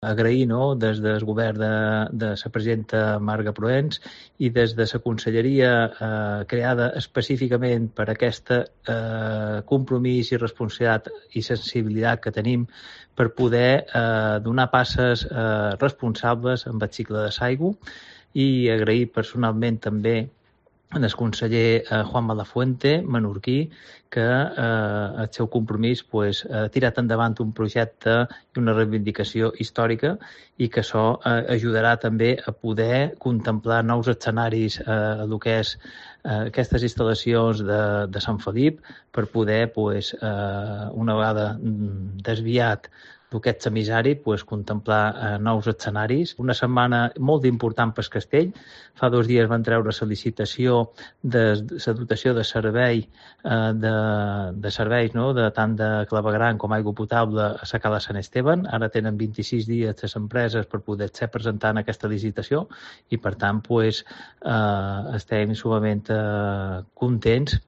agrair, no?, des del govern de la presidenta Marga Proens i des de la conselleria creada específicament per aquest compromís i responsabilitat i sensibilitat que tenim per poder donar passes responsables amb el cicle de l'aigua, i agrair personalment també al conseller Juan Malafuente, menorquí, que el seu compromís ha tirat endavant un projecte i una reivindicació històrica, i que això ajudarà també a poder contemplar nous escenaris a el que és aquestes instal·lacions de Sant Felip, per poder, una vegada desviat d'aquest semissari, contemplar nous escenaris. Una setmana molt important pel castell. Fa 2 dies van treure la licitació de la dotació de servei de serveis, no?, de tant de clavegueram com aigua potable a la cala Sant Esteban. Ara tenen 26 dies les empreses per poder-se presentar en aquesta licitació, i per tant estem sumament contents